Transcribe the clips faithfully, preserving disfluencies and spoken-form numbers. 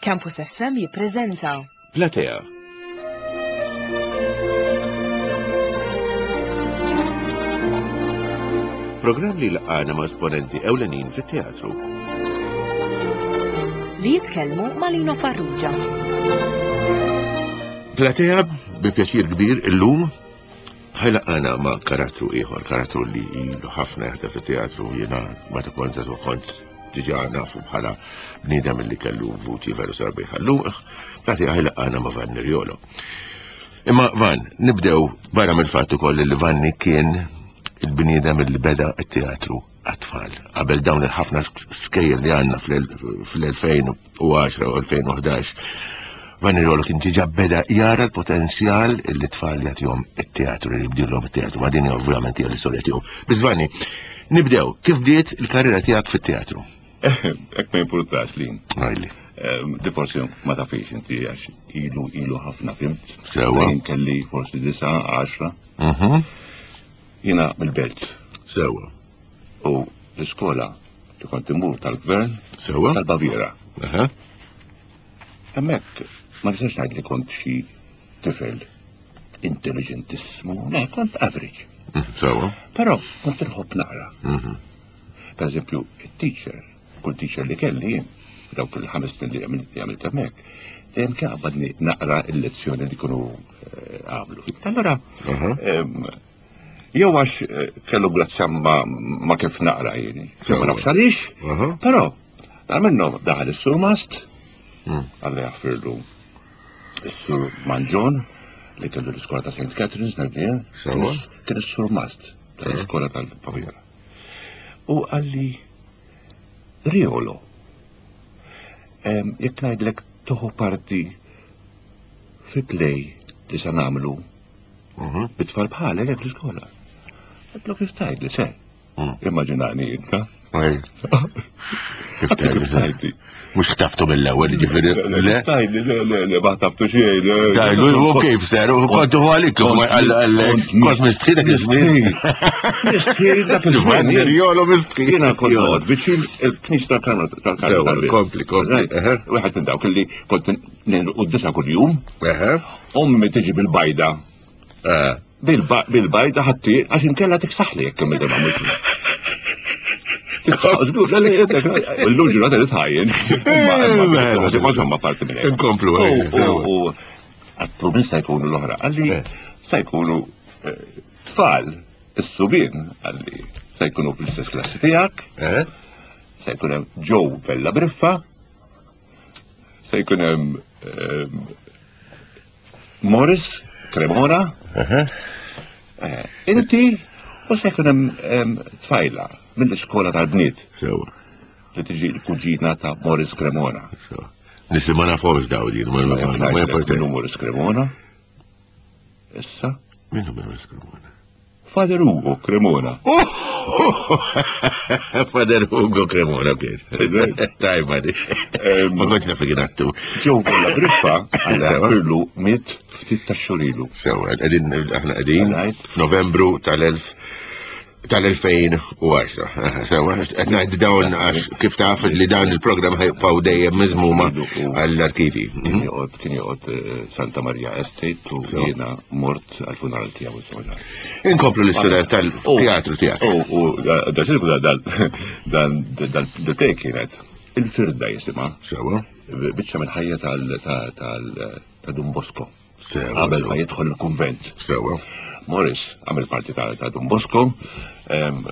Campus F M jippreżenta Platea. Programm li laqgħana ma' esponenti ewlenin fit-teatru. Li jitkellmu ma' Lino Farrugia. Platea bi pjaċir kbir illum ħajlaqana ma' karattru ieħor, karattru li ilu ħafna jaħdem fit-teatru, jiena meta kont żagħżugħ kont diġà nafu bħala bniedem li kellu vuċi veru sabiħa. Llum Platea ħajlaqana ma' Vanni Riolo. Imma Van, nibdew barra mill-fatt ukoll li Vanni kien il-bniedem li beda t-teatru għat-tfal. Qabel dawn il-ħafna skejjel li għandna fl-elfejn u għaxra u elfejn u ħdax, Vanni Riolo kien diġà beda jara l-potenzjal li t-tfal jagħtihom it-teatru, li jibdilhom it-teatru. Ma din ovvjament hija l-istorja tiegħu. Biss Vanni, nibdew, kif bdiet il-karriera tiegħek fit-teatru? Hekk ma jimpurtax li. Għajli. Ehm, di forsi ma tafix inti għax ilu, ilu ħafna, fimt? Sewa. Jien kelli forsi disa, għaxra. Mhm. Jiena mill-belt. Sewa. U l-iskola li kont immur tal-gvern. Sewa. Tal-Baviera. Aha. Hemmhekk ma nistax ngħid li kont xi tifel intelligentissmu, le, kont average. Mm, sewa. Però kont inħobb naqra. Mhm. Per eżempju, it-teacher, kull teacher li kelli jien, dawk il-ħames snin li għamilt, li għamilt hemmhekk, dejjem kien qabadni naqra l-lezzjoni li kienu, eh, għamlu. Allora, Aha. ehm, jew għax, eh, kellu grazzja ma, ma kif naqra jien, Sewa. ma nafx għaliex, Aha. però dar minnhom daħal is-Sur Mast, Mm. Alla jaħfirlu is-Sur Manġon li kellu l-iskola ta' Saint Catherine's nhar Sewa. Kien is-Sur Mast tal-iskola tal-Baviera. U għalli Riolo, ehm, jekk ngħidlek toħu parti fi play li se nagħmlu Mhm. bit-tfal bħalek hekk l-iskola. Għedtlu kif tgħidli, se. Mm. Immaġinani inta. Ej. Kif Kif tgħidli? tgħidli? Mhux ħtaftu mill-ewwel, ġifieri, Le, le? tgħidli, le, le, le, ma ħtaftu xejn, le. Tgħidlu, u kif ser, u kontu għalik, u ma għal-, għal-, Kont kont mistħi dak iż-żmien. Mistħi dak iż-żmien. Vanni Riolo mistħi. Jiena kont noqgħod viċin il-knisja tal-Karmel, tal-Karmel Sewa, tal-Bieb. kompli, kompli, Right. eħe. Wieħed minn dawk li kont u disa kuljum. Eħe. Ommi tiġi bil-bajda. Eh. Bil-ba-, bil-bajda ħatti, għax inkella tiksaħli jekk kemm il-darba mhux. Żgur, le, le, le, le, illum ġurnata li tħajjen. Imma, imma, Mela. imma, insomma, parti minn hekk. Inkomplu, U, ejja, u, sewa. u, għattu min se jkunu l-oħra? Għalli, Eh. se jkunu, eh, tfal, is-subien, għalli, se jkunu fl-istess klassi tiegħek. Eh? Se jkun hemm Joe Vella Briffa, se jkun hemm, ehm, Morris Cremona, Aha. eh, inti, u se jkun hemm, ehm, tfajla mill-iskola tal-bniet. Sewa. Li tiġi l-kuġina ta' Morris Cremona. Sewa. Nisi ma nafhomx daw din, ma Ma ma jaf ma ngħidlek jafx. minnu Morris Cremona. Issa? Minnu Morris Cremona? Father Ugo Cremona. Oh! Father Ugo Cremona, kif. Tajba di. Ehm, Ma kontx naf li kien attur. Joe Vella Briffa, għalla Sewa. jaħfirlu miet ftit ta' xurilu. Sewa, qegħdin, aħna qegħdin Right. f'Novembru tal-elf tal-elfejn u għaxra. Aha, sewa, qed ngħid dawn għax kif taf li dan il-programm ħajbqgħu dejjem miżmuma għall-arkivi. Kien joqgħod, kien joqgħod, eh, Santa Maria Estate u Sewa. jiena mort għall-funeral tiegħu insomma. Inkomplu l-istorja tal-teatru tiegħek. U, u, da, da, da, da, da, da, da, da, da, kienet il-firda jisimha. Sewa. Biċċa mill-ħajja tal-, tal, tal, ta' Don Bosco. Sewa, Qabel ma sewa. jidħol il-kunvent. Sewa. Morris għamel parti ta', ta' Don Bosco, ehm,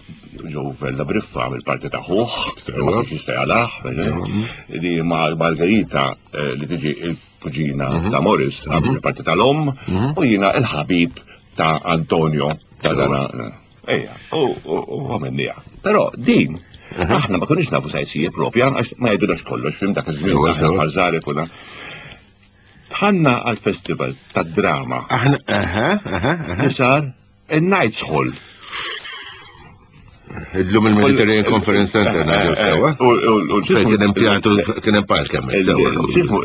Joe Vella Briffa għamel parti ta' ħuħ, Sewa. ma kienx jista' jalaħ, Sewa. di ma' Margherita, eh, li tiġi il-kuġina Mhm. ta' Morris għamel Mhm. parti tal-om, Mhm. u jiena il-ħabib ta' Antonio ta' Sewa. dana. Ejja, u, u, u għamilniha. Però din, Mhm. aħna ma konniex nafu sa jsir propja, għax ma jgħidunax kollox, fim dak iż-żmien, Sewa, aħna sewa. bħal żgħar ikuna. Tħanna għal-festival tad-drama. Aħna, aha, aha, aha. Li sar il-Knights Hall. Illum il-Mediterranean Conference Center naġew sewa. U, u, u, Fejn kien hemm teatru, kien hemm park hemmhekk sewa. Ġismu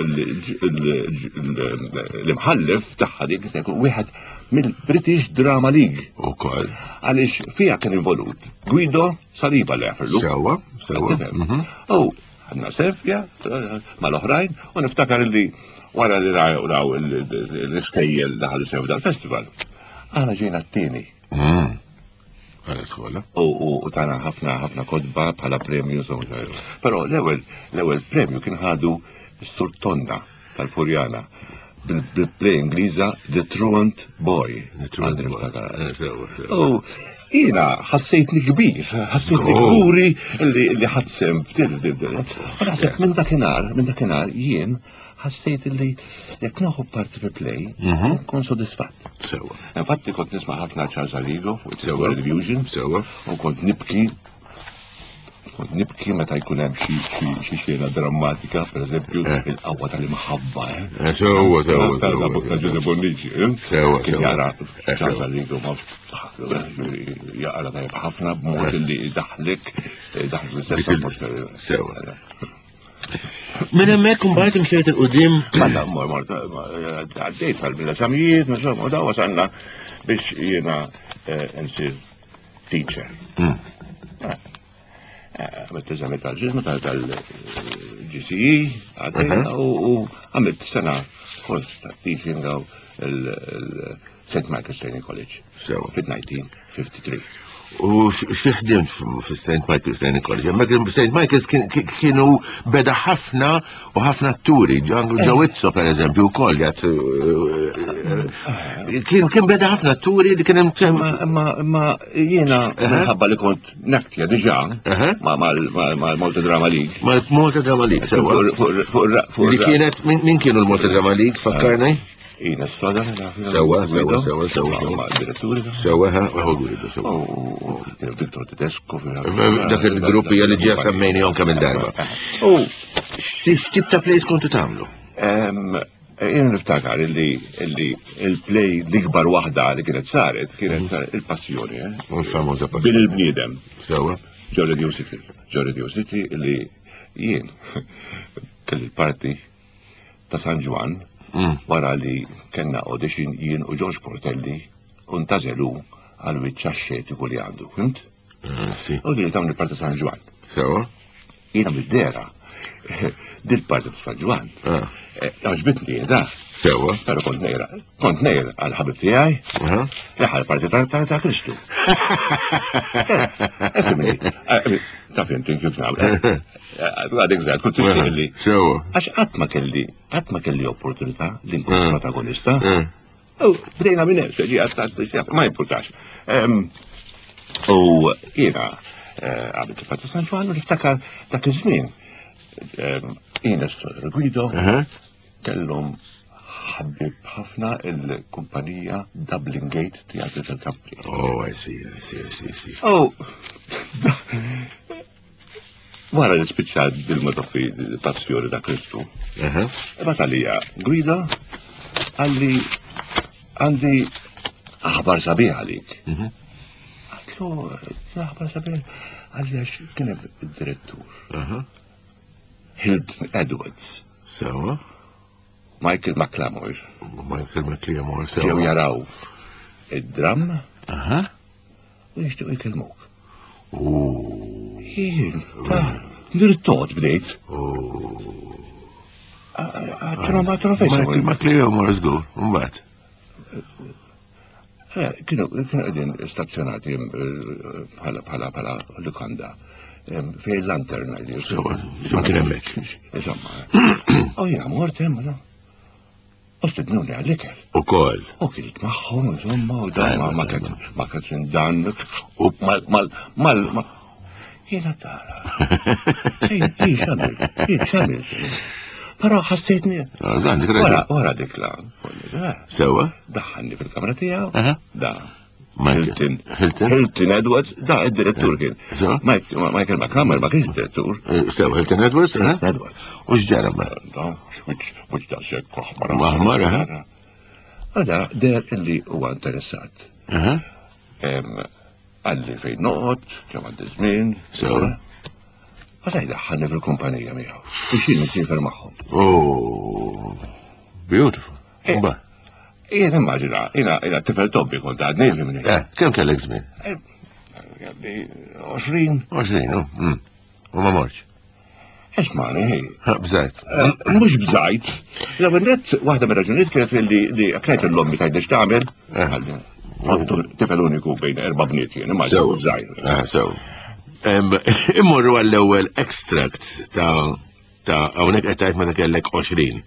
l-imħallef tagħha dik se jkun wieħed mill-British Drama League. Ukoll. Għaliex fiha kien involut Guido Saliba li jaħfirlu. Sewa, sewa. Tifhem? Mhm. U Ħadna selfie mal-oħrajn u niftakar li wara li raw l-iskejjel daħal sew dal-festival. Aħna ġejna t-tieni. Għala skola. U tana ħafna ħafna kotba bħala premju. Però l-ewwel l-ewwel premju kien ħadu s-Sur Tonda tal-Furjana bil-play Ingliża The Truant Boy. The Truant Boy. U jiena ħassejtni kbir, ħassejtni kburi li ħadsem f'dil dil. U naħseb minn dakinhar, minn dakinhar jien ħassejt li jekk nieħu parti fi play, nkun sodisfatt. Sewa. Infatti kont nisma' ħafna Charles Arrigo fuq Sewa. television. Sewa. U kont nibki kont nibki meta jkun hemm xi xi xena drammatika, pereżempju, il-qawwa tal-imħabba, eh. Sewa, sewa, sewa. Ta' Giuseppe Bonnici, eh. Sewa, Kien sewa. jara Charles Arrigo ma jaqra tajjeb ħafna b'mod li daħlek, daħlek l-istess Sewa. Minn hemmhekk imbagħad imxejt 'il quddiem. Mela, mor, mor, għaddejt għal-bil-eżamijiet, insomma, u da wasalna biex jiena nsir teacher. Għamilt eżami tal-ġismu tal-G C E, għaddejna u għamilt sena kors ta' teaching għaw il-Saint Michael's Training College. Sewa. Fil-elf disa' mija u tlieta u ħamsin. U x'ħdimt fis-Saint Michael's Training College? Hemmhekk Saint Michael's kienu beda ħafna u ħafna atturi, Joe Izzo per eżempju wkoll jgħat kien kien beda ħafna atturi li kien hemm Ma ma jiena minħabba li kont naktja diġà mal-Malta Drama League. Mal-Malta Drama League, sewa. Li kienet min kienu l-Malta Drama League, fakkarni? Ina s-soda. Sewa, sewa, sewa, sewa. Ma' diretturi. Sewa, ha, u Guido, sewa. U Victor Tedesco. Dak il-gruppi li ġa semmejni kemm il-darba. U x'tip ta' plays kontu tagħmlu? Jien niftakar illi il-play l-ikbar waħda li kienet saret, kienet saret il-Passjoni, eh? Il-famuża Passjoni. Bin il-bniedem. Sewa. Ġo Radio City. Ġo Radio City illi jien kelli l-parti ta' San Ġwann wara li kellna audition jien u George Portelli u ntgħażel għal wiċċ axxetiku li għandu, fhimt? Sì. U li tawni parti San Ġwann. Sewa. Jiena mid-dehra, dil parti ta' San Ġwann. Għoġbitni da. Sewa. Pero kont nejra, kont nejra għal ħabib tiegħi, li ħal parti ta' ta' Kristu. Ifhimni, ta' fimti kif nagħmel. Għadek żgħar, kont tixtieq li. Sewa. Għax qatt ma kelli, qatt ma kelli opportunità li nkun protagonista. U bdejna minn hemm, ġi għadd ma jimpurtax. U jiena għamilt il-parti San Ġwann u niftakar dak iż-żmien. Jiena Guido kellhom ħabib ħafna il-kumpanija Dublin Gate Theatre Company. Oh, I see, I see, I see, I see. Oh, wara li spiċċat bil-madoffi Passjoni ta' Kristu, bagħat għalija Guido qalli għandi aħbar sabiħ għalik. Għedtlu, aħbar sabiħ, qalli għax kien hemm id-direttur. Hilton Edwards. Sewa. Michael McLamore. Michael McLamore, sewa. Ġew jaraw id-dram Aha. u jixtiequ jkellmuk. U. Jien, ta' nirtogħod bdejt. Għatru ma trofessa. Michael McLamore, żgur, mbagħad. Kienu kienu qegħdin stazzjonati bħala bħala bħala lukanda fej Lantern. Sewa, x'imkien hemmhekk. Insomma. U jiena mort hemm, no. U stednuni għall-ikel. Ukoll. U kilt magħhom, insomma, u dan ma ma ma Catherine Dan, u mal mal mal mal. Jiena tara. Jien x'għamilt, jien x'għamilt. Però ħassejtni. Għandek Wara, raġun. wara dik la. Sewa. Daħħalni fil-kamra tiegħu. Aha. Da. Michael. Hilton. Hilton. Hilton Edwards, da, id-direttur kien. Sewa. Mike- Michael McLamore ma kienx direttur. Sewa, Hilton Edwards, eh? Edwards. U x'ġara ma? Da, wiċċ, wiċċ da sekk aħmar. Aħmar, aha. Għada, deher illi huwa interessat. Aha. Em, Qalli fejn noqgħod, kemm għandi żmien. Sewa. Għada jdaħħalni fil-kumpanija miegħu. Biex jien nsiefer magħhom. Oh, beautiful. Eh. Mbagħad. Jien immaġina, jiena jiena tifel tobbi kont għadni fhimni. Eh, kemm kellek żmien? Għadni għoxrin. għoxrin, oh, mm. U ma mortx. Esmani, hej. Bżajt. Mhux bżajt. L-ewwel nett waħda mir-raġunijiet kienet li li kienet l-ommi tgħidli x'tagħmel. Tifel uniku bejn erba' bniet jien, imma żgħir. Sew. Immorru għall-ewwel extract ta' ta' hawnhekk qed tgħid meta kellek għoxrin.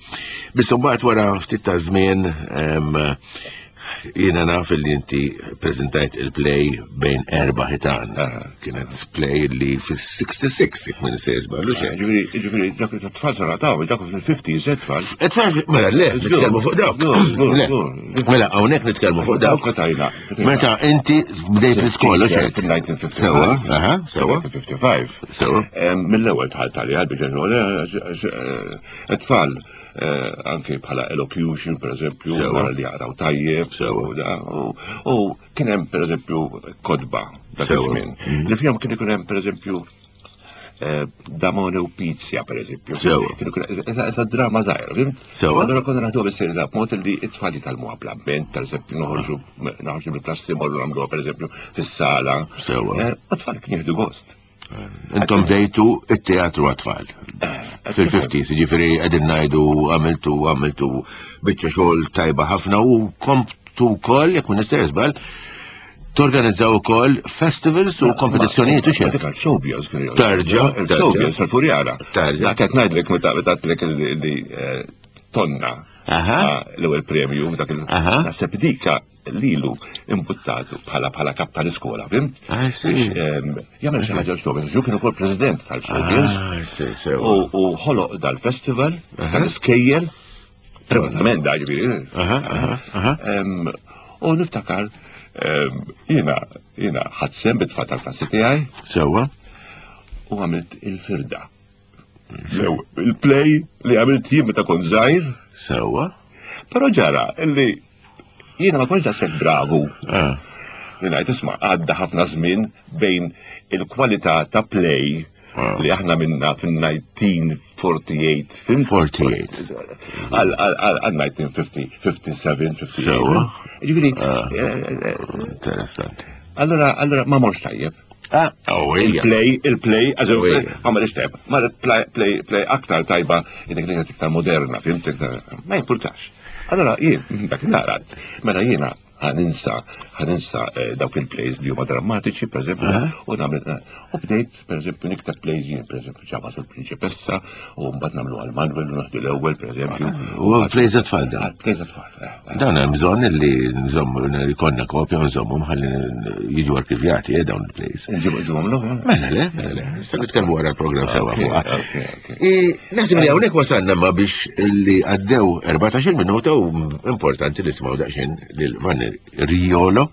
Biss imbagħad wara ftit ta' żmien jiena naf li inti preżentajt il-play bejn erba' ħitan. Kienet play li fis-sixty-six, jekk ma ninsejx żballu xejn. Ġifieri, ġifieri, dak it-tfal sarataw, dak fil-fifties, it-tfal. It-tfal, mela le, nitkellmu fuq dawk. Mela hawnhekk nitkellmu fuq dawk. Meta inti bdejt l-iskola xejn. fil-nineteen fifty-five. Sewa, aha, sewa. nineteen fifty-five. Sewa. Mill-ewwel dħalt għalija biex it-tfal anke bħala elocution, per eżempju, wara li jaqraw tajjeb, u kien hemm per eżempju kodba dak iż-żmien. Li fihom kien ikun hemm per eżempju Damone u Pizia, per eżempju. Kien ikun esa drama żgħira, fimt? Allura konna naħduha bis-serjetà b'mod li t-tfal jitgħallmuha bl-ambjent, per eżempju, noħorġu noħorġu mill-klassi morru nagħmluha per eżempju fis-sala. Sewa. U t-tfal kien jieħdu gost. Intom bdejtu it-teatru għat-tfal. Fil-fifties, ġifieri qegħdin ngħidu għamiltu għamiltu biċċa xogħol tajba ħafna u komptu wkoll, jekk ma nistax żball, torganizzaw ukoll festivals u kompetizzjonijiet u xejn. Dik għal-showbiz kien jgħid. Tarġa, Il-showbiz tal-Furjana. Tarġa. Dak qed ngħidlek meta għedtlek li tonna l-ewwel premju dak il- naħseb dika lilu imbuttatu bħala bħala kap tal-iskola, fimt? Jagħmel xi ħaġa l-showbiz, ġu kien ukoll president tal-showbiz. U ħoloq dal-festival tal-iskejjel, privatament da ġifieri. U niftakar jiena jiena ħadd sehem bit-tfal tal-klassi tiegħi. Sewwa. U għamilt il-firda. Sew, il-play li għamilt jien meta kont żgħir. Sewwa. Però ġara illi jiena ma kontx daqshekk bravu. Li ngħid isma' għadda ħafna żmien bejn il-kwalità ta' play li aħna minna fin-nineteen forty-eight. Forty-eight. Għal nineteen fifty, fifty-seven, fifty-eight. Ġifieri, Interessanti. Allora, allora ma morx tajjeb. Ah, oh, ejja. Il-play, il-play, għax Oh, ejja. ma marx tajjeb. Ma play, play, play aktar tajba, id-dik iktar moderna, fimt, iktar, ma jimpurtax. Allora, jien, dak narat, mela jiena ħaninsa, ħaninsa dawk il-plays li huma drammatiċi, per eżempju, u nagħmel, u bdejt, per eżempju, niktab plays jien, per eżempju, ġabba sul prinċipessa, u mbagħad nagħmlu għal Manuel u naħdu l-ewwel, per eżempju. U plays għat-tfal dan? Plays għat-tfal, eh, eh. Dan hemm bżonn li nżommu, li konna kopja u nżommu ħalli jiġu arkivjati, eh, dawn il-plays. Nġibu, nġibu l-ewwel. Mela le, mela le. Issa nitkellmu wara l-programm sewa Ok, fuqha. ok, ok. I, naħseb li hawnhekk wasalna ma biex li għaddew erbatax-il minuta u importanti li nisimgħu daqsxejn lil Vanni Riolo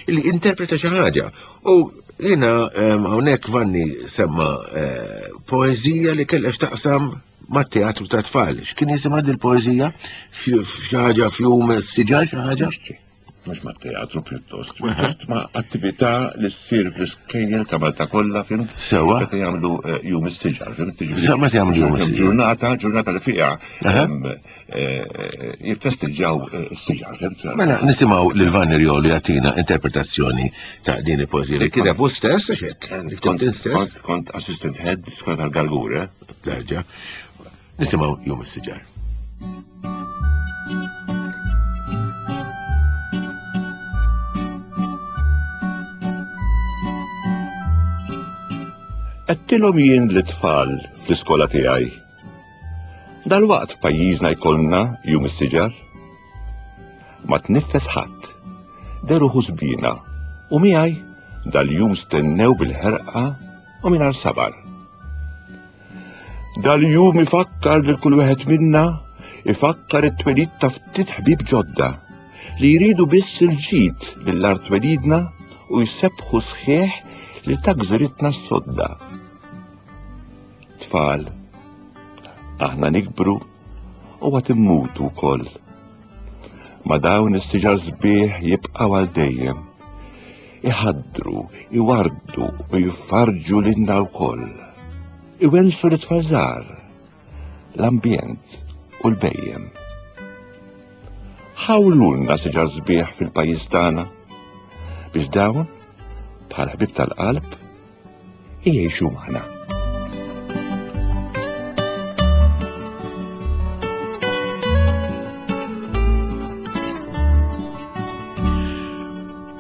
li interpreta xi ħaġa. U jiena, ehm, hawnhekk Vanni semma, eh, poeżija li kellha x'taqsam mat-teatru ta' tfal. X'kien jisimha din il-poeżija? Xi ħaġa fjum siġar xi ħaġa? Mhux mat-teatru pjuttost, pjuttost ma' attività li ssir fl-iskejjel ta' Malta kollha, fimt? Sewwa. Meta jagħmlu, eh, jum is-siġar, fimt? Jiġifieri Sewwa, meta jagħmlu jum is-siġar. Ġurnata, ġurnata li fiha, Aha. ehm, eh, jiffesteġġaw, eh, s-siġar, fimt? Mela nisimgħu lil Vanni Riolo jagħtina interpretazzjoni ta' din il-poeżija li kiteb hu stess, għax hekk, li ktibt int stess. Kont, kont assistant head skola tal-Gargur, eh? Terġa'. Nisimgħu jum is-siġar. Għedtilhom jien l-tfal fl-iskola tiegħi. Dalwaqt f'pajjiżna jkollna jum is-siġar. Ma tniffes ħadd, deru ħusbina u miegħi dal-jum stennew bil-ħerqa u mingħajr sabar. Dal-jum ifakkar lil kull wieħed minna, ifakkar it-twelid ta' ftit ħbieb ġodda li jridu biss il-ġid lill-art twelidna u jsebbħu sħiħ li ta' gżiritna s-sodda. Tfal, aħna nikbru u għad immutu wkoll. Ma dawn is-siġar sbieħ jibqgħu għal dejjem. Iħaddru, iwardu u jfarġu lilna wkoll. Iwensu l-tfal żgħar, l-ambjent u l-bejjem. Ħawlulna siġar sbieħ fil-pajjiż tagħna biex dawn bħal ħbib tal-qalb jgħixu magħna.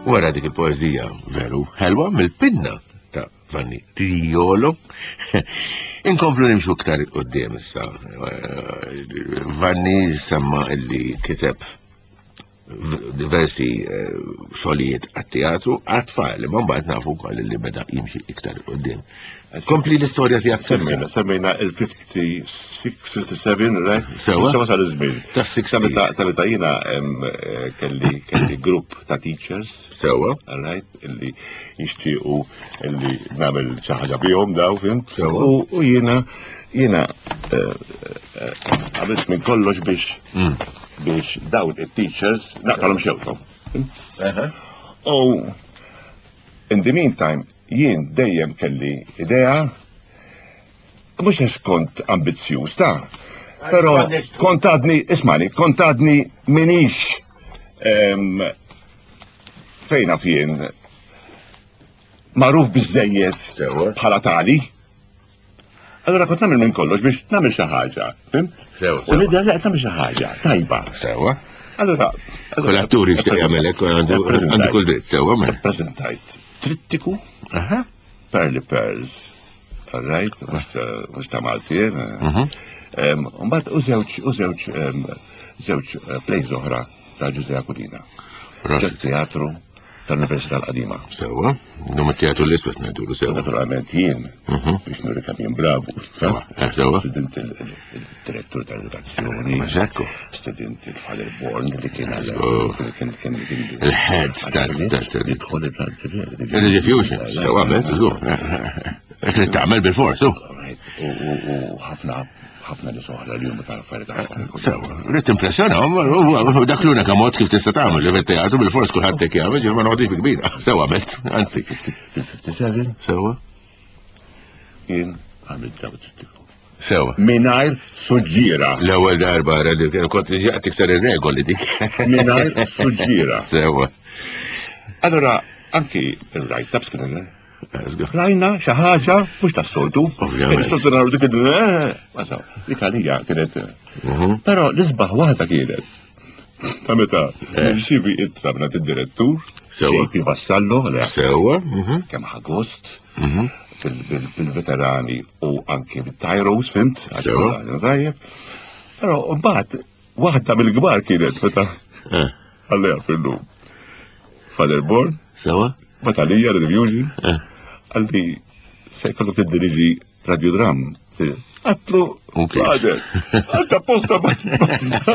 Wara dik il-poezija veru ħelwa mill-pinna ta' Vanni Triolo. Inkomplu nimxu iktar 'il quddiem issa. Vanni semma illi kiteb diversi eh, xogħlijiet għat-teatru għat-tfal, imma mbagħad nafu wkoll li beda jimxi iktar 'il quddiem. Kompli l-istorja tiegħek. Semmejna, semmejna il-ħamsa u ħamsin, sitta u sebgħin, right? Sewa. Issa wasal iż-żmien. Ta' sixties. Ta' meta ta' meta jiena em, eh, kelli kelli grupp ta' teachers, Sewa. right, illi jixtiequ illi nagħmel xi ħaġa bihom daw, fhimt? Sewa. U u jiena jiena eh, eh, għamilt minn kollox biex Mm. biex dawn it-teachers naqtalhom xewqhom. U in the meantime, jien dejjem kelli idea, mhux għax kont ambizzjuż ta', però kont għadni, ismani, kont għadni minix em, fejna fien magħruf biżżejjed Sewa. bħala tali. Allora kont nagħmel minn kollox biex nagħmel xi ħaġa, fhimt? Sewa, U sewa. nidher li qed nagħmel xi ħaġa tajba. Sewa. Allora, Kull attur jixtieq jagħmel hekk, għandu għandu kull dritt, sewa mela. Prezentajt trittiku Aha. Pearly Pearls. All right, mhux ta' mhux ta' Malti. Mhm. Mbagħad u żewġ u żewġ em, żewġ eh, plays oħra ta' Ġużè Aquilina. Prosit. Teatru tal-Università l-Qadima. Sewa. Num it-teatru l-iswed ngħidulu sewa. Naturalment jien Mhm. biex nuri kemm jien bravu. Sewa, eh, sewa. Stedint il-direttur tal-edukazzjoni. Ma ġekku. Stedint il-Father Born li kien għal- Oh. kien kien kien Il-head tal- tal- tal- Jidħol il- Il-execution. Sewa, għamilt, żgur. Hekk li tagħmel bil-fors, u. Right. U u- u ħafna ħafna nies oħra li huma tal-affarijiet tagħhom. Sewa, rrid impressjonahom, u dak l-unika mod kif tista' tagħmel li fit-teatru bil-fors kulħadd hekk jagħmel, ġifieri ma noqgħodix bi kbira. Sewa għamilt, anzi. Fil-ħamsa u sebgħin Sewa. jien għamilt daw it-trittiku. Sewa. Mingħajr suġġiera. L-ewwel darba ra li kont ġaqt tikser ir-regoli dik. Mingħajr suġġiera. Sewa. Allora, anki il-write-ups kienu Żgur. Rajna xi ħaġa mhux tas-soltu. Ovvjament. Is-soltu naraw dik il- eh, ma saw, dik għalija kienet. Mhm. Però l-isbaħ waħda kienet. Ta' meta Eh. nirċievi ittra minn id-direttur, Sewa. J P Vassallo, li Sewa. mhm, kemm ħa gost mhm. bil- bil- bil-veterani u anki bil-tyros, fhimt? Għax Sewa. kollha tajjeb. Però mbagħad waħda mill-kbar kienet meta Eh, għalleja fil-lum. Father Born, Sewa. Batalija, Rediffusion, Eh. qalli se jkollok tiddiriġi radiodram. Għedtlu, U kif? Father, għax apposta ma.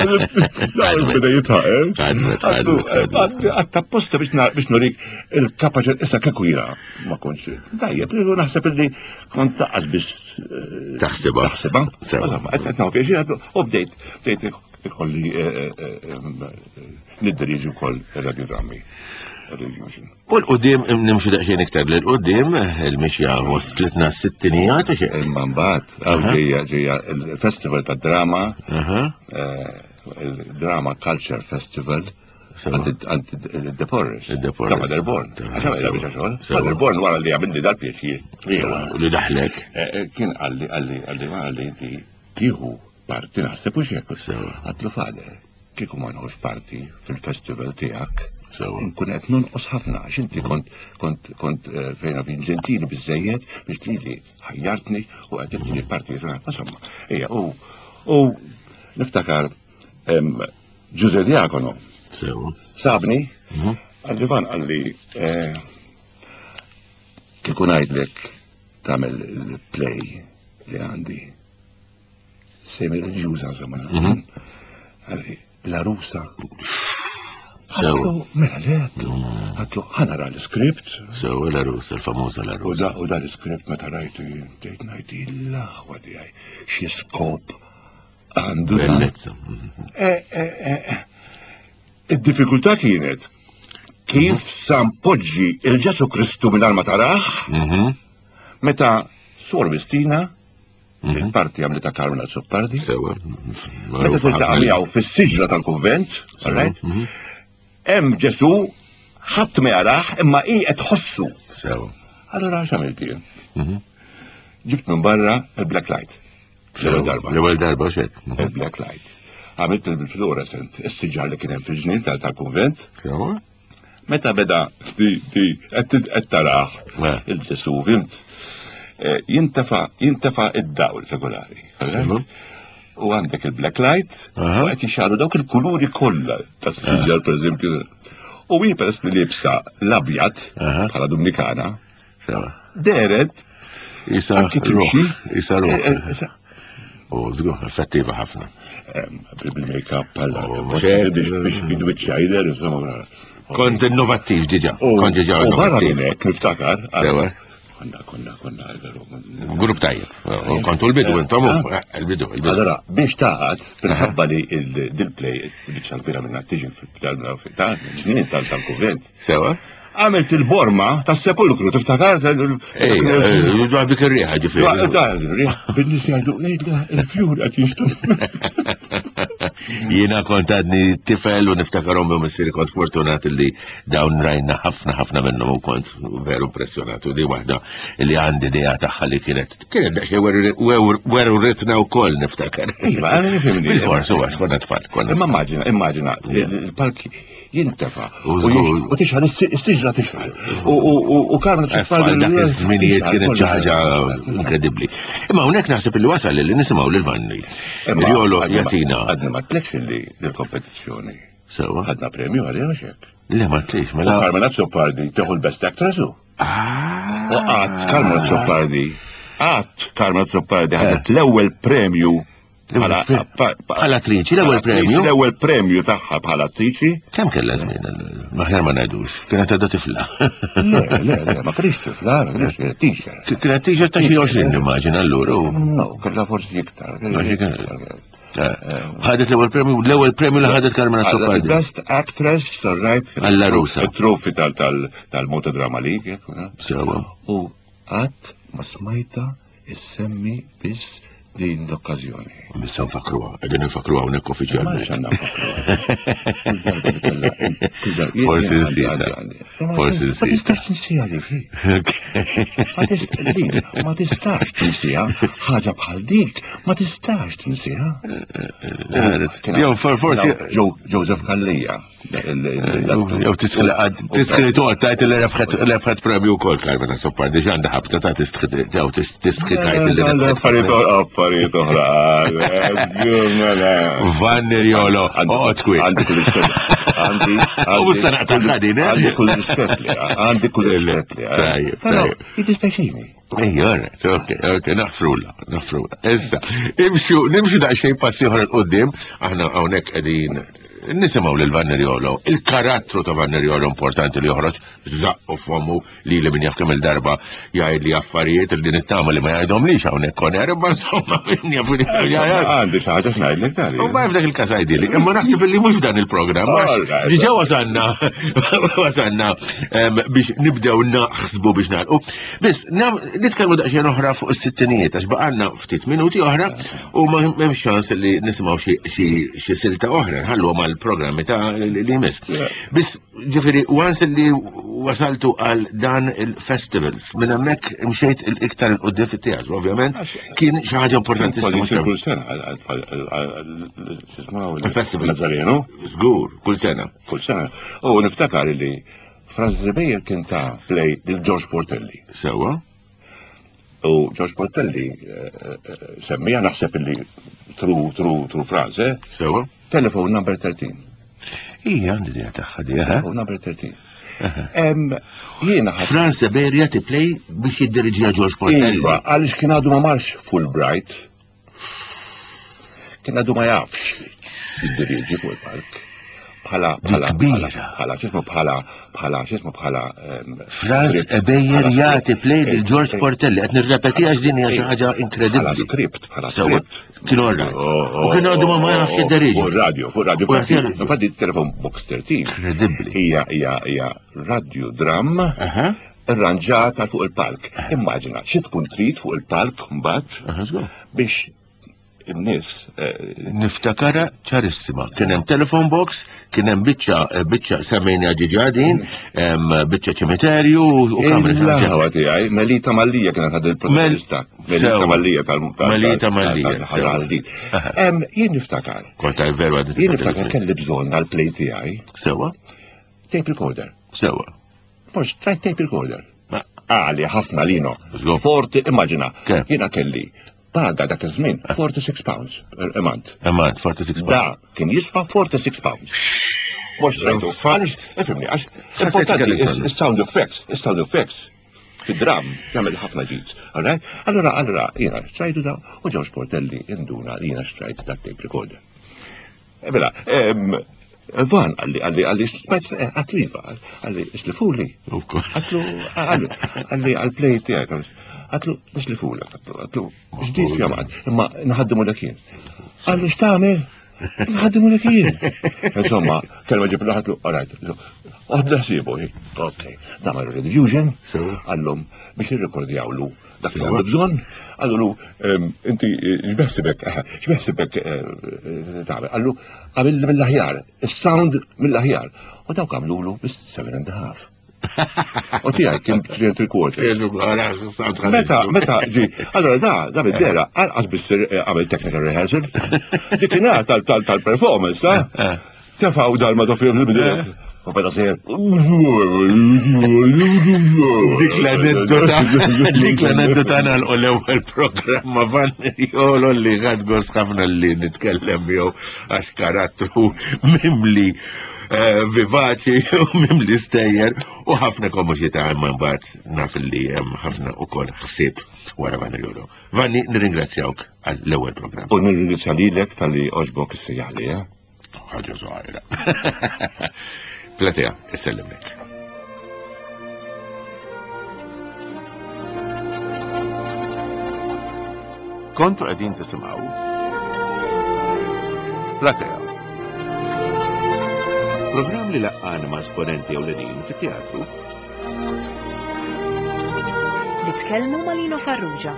Beda jidħaq, eh? Ħadmet, ħadmet, ħadmet. Għax apposta biex na- biex nurik il-kapaċi, issa kieku jiena ma kontx. Dajja, pero naħseb li kont taqqas biex eh, Taħsibha. Taħsibha. Sewa. Insomma, qed qed pjaċir, għedtlu, u bdejt, bdejt ikolli eh, eh, eh, niddiriġi wkoll radiodrammi. Rediffusion. U 'l quddiem nimxu daqsxejn iktar 'l quddiem il-mixja waslitna s-sittinijiet għax hekk. Imma mbagħad għaw Aha. ġejja ġejja il-Festival ta' Drama, Aha. eh, il-Drama Culture Festival Sewa. għand De Porres. De Porres. Ta' Father Born. Ta' Għax għamel sewa. biex xogħol. Sewa. Father Born wara li għamilli dal-pjaċir. Sewa, u li daħlek. Eh, eh, Kien qalli qalli qalli ma qalli inti tieħu parti naħseb u xek. Sewa. Għedtlu Father, kieku ma nħux parti fil-festival tiegħek. Sewa. Nkun qed nonqos ħafna għax inti kont kont kont eh, fejna fin ġentili biżejjed biex lili ħajjartni u qed tibtini parti. Insomma, ejja, u u niftakar em, Ġuże Diacono Sewa. sabni Mhm. qalli Van qalli eh, kieku ngħidlek tagħmel il-play li għandi semi reliġjuża insomma. Mhm. Qalli l-għarusa. Sewa. Għedtlu, mela le, għedtlu, għedtlu, ħa nara l-script, Sewa l-għarusa, il-famuża u l-għarusa. da, u da l-script meta rajtu jien, bdejt ngħid il-aħwa tiegħi, xi skop għandu dan. Bellezza. Mhm. Eh, eh, eh, eh. Id-diffikultà kienet kif sa npoġġi il-Ġesu Kristu mingħajr ma tarah Mhm. meta Suor Mistina, Mhm. il-parti għamlita Karmel Azzopardi, Sewa. meta tiltaqa' miegħu fis-siġra tal-kunvent, all right? Mhm. Hemm Ġesu ħadd ma jarah imma hi qed tħossu. Sewa. Allora x'għamilt jien? Mhm. Ġibt minn barra il-black light. L-ewwel darba. L-ewwel darba xek. Mhm. Il-black light. Għamilt il-fluorescent, is-siġar li kien hemm fil-ġnien tal- tal-kunvent, Sewa. Meta beda di di qed tarah il-Ġesu, fimt? Jintefa jintefa id-dawl regolari. U għandek il-black light, u qed jixgħalu dawk il-kuluri kollha tas-siġar pereżempju. U hi peress li libsa l-abjad bħala Dominikana. Deret Isa ruħ, isa ruħ. U żgur, effettiva ħafna. Bil-make-up bħala biex bidwiċċa jidher, insomma. Kont innovattiv diġà, kont diġà innovattiv. U barra minn hekk niftakar. Sewa. Konna, konna, konna, veru. Grupp tajjeb. Kontu l-bidu, intom, il-bidu, il-bidu. Allora, biex taħat, minħabba li dil-play, il-biċċa kbira minna tiġi fil-ġnien tal-kunvent. Sewa. Għamilt il-borma tas-sepulkru, tiftakar? Ej, dwar dik ir-riħa ġifieri. Dwar ir-riħa, bin-nies jgħidu, il-fjur qed jinxtu. Jiena kont għadni tifel u niftakarhom u missieri kont fortunat li dawn rajna ħafna ħafna minnhom u kont veru impressjonat u di waħda li għandi idea tagħha li kienet kienet daqsxejn weru ritna wkoll niftakar. Iva, għana nifhimni. Bil-fors huwa konna tfal. Imma immaġina, immaġina, il-palki jintefa u tixħal is-siġra tixħal u Carmen Azzopardi dak iż-żminijiet kienet xi ħaġa inkredibbli. Imma hawnhekk naħseb illi wasal li nisimgħu lil Vanni. Riolo jagħtina. Għadni ma tlekx illi l-kompetizzjoni. Sewa. Ħadna premju għalija xek. Le ma tlix, mela. Carmen Azzopardi tieħu l-best actress u. U qatt Carmen Azzopardi, qatt Carmen Azzopardi ħadet l-ewwel premju bħala attriċi, l-ewwel premju. L-ewwel premju tagħha bħala attriċi. Kemm kellha żmien? Maħjar ma ngħidux. Kienet għadha tifla. Le, le, le, ma kienx tifla, ma kienx teacher. Kienet teacher ta' xi għoxrin nimmaġina allura. No, kellha forsi iktar. Ħadet l-ewwel premju, l-ewwel premju li ħadet Carmen Azzopardi. Best Actress, all right. Alla Rusa. Il-trofi tal-Moto Drama League. Sewa. U qatt ma smajta issemmi biss din l-okkazjoni. Issa nfakruha, qegħdin nfakruha hawnhekk uffiċjalment. Forsi nsita. Forsi Ma nsita. tistax tinsiha dik. Ma tistax tinsiha ħaġa bħal dik, ma tistax tinsiha. Jew forsi Joseph Calleja. Jew tistħi tistħi toqgħod tgħid li rebħet premju wkoll Carmen Azzopardi x'għandha ħabta ta' tistħi jew tistħi tgħid li rebħet. Affarijiet affarijiet oħra. Vanni Riolo, oqgħod kwiet. Għandi kull rispett. Għandi. U mhux se naqta' ħadin, eh? Għandi kull rispett li għandi kull rispett li. Tajjeb, tajjeb. Jiddispjaċini. Ejja, alright, ok, ok, naħfrula, naħfrula. Issa, imxu, nimxu daqsxejn passi oħra 'l quddiem, aħna hawnhekk qegħdin nisimgħu lil Vanni Riolo, il-karattru ta' Vanni Riolo importanti li joħroġ żaqqu fommu li li min jaf kemm il-darba jgħid li affarijiet li nittama li ma jgħidhomlix hawnhekk on air, imma insomma min jaf li jgħid. Għandi xi ħaġa x'ngħidlek dari. U ma f'dak il-każ għidili, imma naħseb li mhux dan il-programm. Diġà wasalna wasalna biex nibdew naħsbu biex nagħlqu. Biss nitkellmu daqsxejn oħra fuq is-sittinijiet għax baqgħalna ftit minuti oħra u ma m'hemmx ċans li nisimgħu xi silta oħra nħallu mal programmi ta' li jmiss. Biss, ġifieri, once li wasaltu għal dan il-festivals, minn hemmhekk imxejt il-iktar il-qudiem fit-teatru, ovvjament, kien xi ħaġa importantissima. Kull sena, Il-festival. Nazareno. Żgur, kull sena. Kull sena. U niftakar li Franz Rebejer kien ta' play lil George Portelli. Sewa. U George Portelli semmija naħseb li through through through Franz, eh? Sewa. Telephone number thirteen. Ija, għandi idea tagħha di, eh? Telephone number thirteen. Jiena ħadd. Franz Ebejer jagħti play biex jiddiriġiha George Portelli. Iva, għaliex kien għadu ma marx Fulbright. Kien għadu ma jafx jiddiriġi fuq il-palk. Bħala, bħala, kbira. bħala, x'ismu bħala, bħala, x'ismu bħala, Franz script, Ebejer bħala jagħti script. play lil George Eh, Portelli, qed nirrepeti għax din hija xi ħaġa inkredibbli. Bħala script, bħala Sewa, script. kienu orrajt. Oh, U kienu għadu ma ma jafx jidderiġi. Fuq radio, fuq radio. U jagħti radio. Infatti Telephone Box thirteen. Inkredibbli. Hija, hija, hija radio dram Aha. irranġata fuq il-palk. Immaġina, xi tkun trid fuq il-palk mbagħad Aha, żgur. biex in-nies, eh, Niftakara ċarissima. Kien hemm telephone box, kien hemm biċċa, eh, biċċa semmejna ġiġa din, hemm biċċa ċimiterju u kamra Il ħaġa. tiegħi, Melita Mallija kienet ħad il-protagonista. Mel- Melita Sewa. Mallija tal- tal- Melita tal- Mallija, tal- sewa. tal- tal- Em, jien niftakar. Kont għaj veru għadni Jien niftakar kelli bżonn għall-play tiegħi Sewa? tape recorder. Sewa. Mhux xtrajt tape recorder. Ma- Għali ħafna lino. Żgur. Forty, immaġina. Kemm? Jiena kelli paga dak iż-żmien forty-six pounds a month. A month, forty-six pounds. Da kien jiswa forty-six pounds. Mhux xtrajtu. Fa- Għaliex, ifhimni, għax Ħassejt importanti kellek bżonn. is-sound effects, is-sound effects fid-dram jagħmel ħafna ġid. All right? Allora, allora, jiena xtrajtu da u George Portelli induna li jiena xtrajt dak tape recorder. E Mela, em, Van għalli, għalli, għalli, smajt, għatlu iva, għalli, islifuli. Ukoll. Għatlu, għalli, għalli, għal-play tiegħek, għatlu, islifuli, għatlu, ġdid fjamad, imma nħaddimu dak jien. Għallu, x'tagħmel? Nħaddimu dak jien. Insomma, kelma ġib għatlu, all right, għodda ħsibu, ok, nagħmel Rediffusion, Sewa. għallhom biex irrekordjawlu dak li Sewa. għandu bżonn, għallu, em, inti x'beħsibek, eh, x'beħsibek, eh, tagħmel, għallu għamil mill-aħjar, is-sound mill-aħjar. U dawk għamlulu bis seven and a half. U tiegħi kien three and three quarters. Meta, meta ġi, allora da, da bid-dera, għalqas biss eh, għamel technical rehearsal. Dikinhar tal-performance, ta' tefaw dal-ma ta' film il-bidera. U beda sejjer. Dik l-aneddota, dik l-aneddota nagħlqu l-ewwel programm ma' Van Riolo li ħadt gost ħafna li nitkellem jew għax karattru mimli eh, vivaċi u mimli stejjer u ħafna komiċità, imma mbagħad naf li hemm ħafna ukoll ħsieb wara Van Riolo. Vanni, nirringrazzjawk għall-ewwel programm. U nirringrazzja lilek talli għoġbok issejjaħli, eh? Ħaġa żgħira. Platea, issellimlek. Kontu qegħdin tisimgħu Platea. Programm li laqqana ma' esponenti ewlenin fit-teatru. Nitkellmu ma' Lino Farrugia.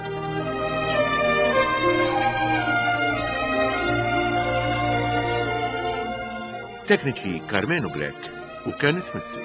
Tekniċi Carmenu Grech u Kenneth Mizzi.